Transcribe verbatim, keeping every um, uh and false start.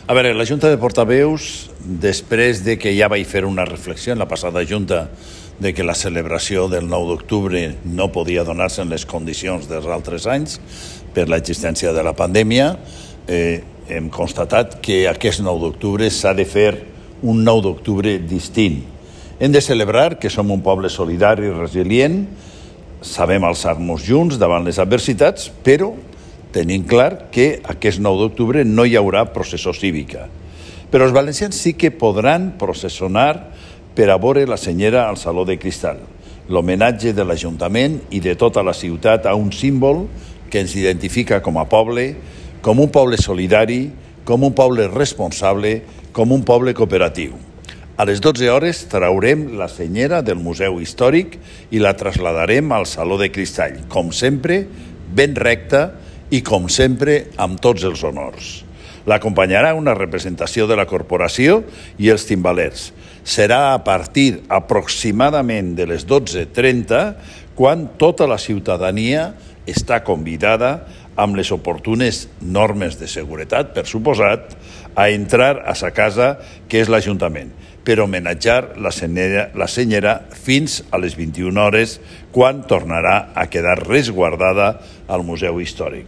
A veure, la Junta de Portaveus, després de que ja vaig fer una reflexió en la passada Junta de que la celebració del nou d'octubre no podia donar-se en les condicions dels altres anys per l'existència de la pandèmia, eh, hem constatat que aquest nou d'octubre s'ha de fer un nou d'octubre distint. Hem de celebrar que som un poble solidari i resilient, sabem alçar-nos junts davant les adversitats, però tenim clar que aquest nou d'octubre no hi haurà processó cívica. Però els valencians sí que podran processionar per a veure la senyera al Saló de Cristal, l'homenatge de l'Ajuntament i de tota la ciutat a un símbol que ens identifica com a poble, com un poble solidari, com un poble responsable, com un poble cooperatiu. A les dotze hores traurem la senyera del Museu Històric i la trasladarem al Saló de Cristall, com sempre, ben recta i, com sempre, amb tots els honors. L'acompanyarà una representació de la corporació i els timbalers. Serà a partir aproximadament de les dotze trenta quan tota la ciutadania està convidada amb les oportunes normes de seguretat, per suposat, a entrar a sa casa, que és l'Ajuntament, per homenatjar la senyera, la senyera fins a les vint-i-una hores, quan tornarà a quedar resguardada al Museu Històric.